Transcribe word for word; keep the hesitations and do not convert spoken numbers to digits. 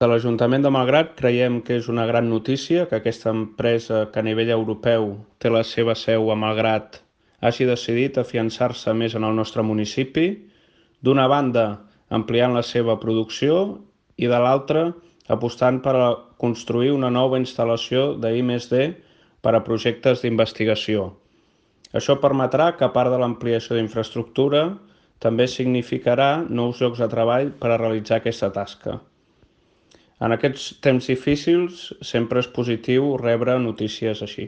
De l'Ajuntament de Malgrat creiem que és una gran notícia que aquesta empresa que a nivell europeu té la seva seu a Malgrat hagi decidit afiançar-se més en el nostre municipi, d'una banda ampliant la seva producció i de l'altra apostant per a construir una nova instal·lació de I més D per a projectes d'investigació. Això permetrà que, a part de l'ampliació d'infraestructura, també significarà nous llocs de treball per a realitzar aquesta tasca. En aquests temps difícils sempre és positiu rebre notícies així.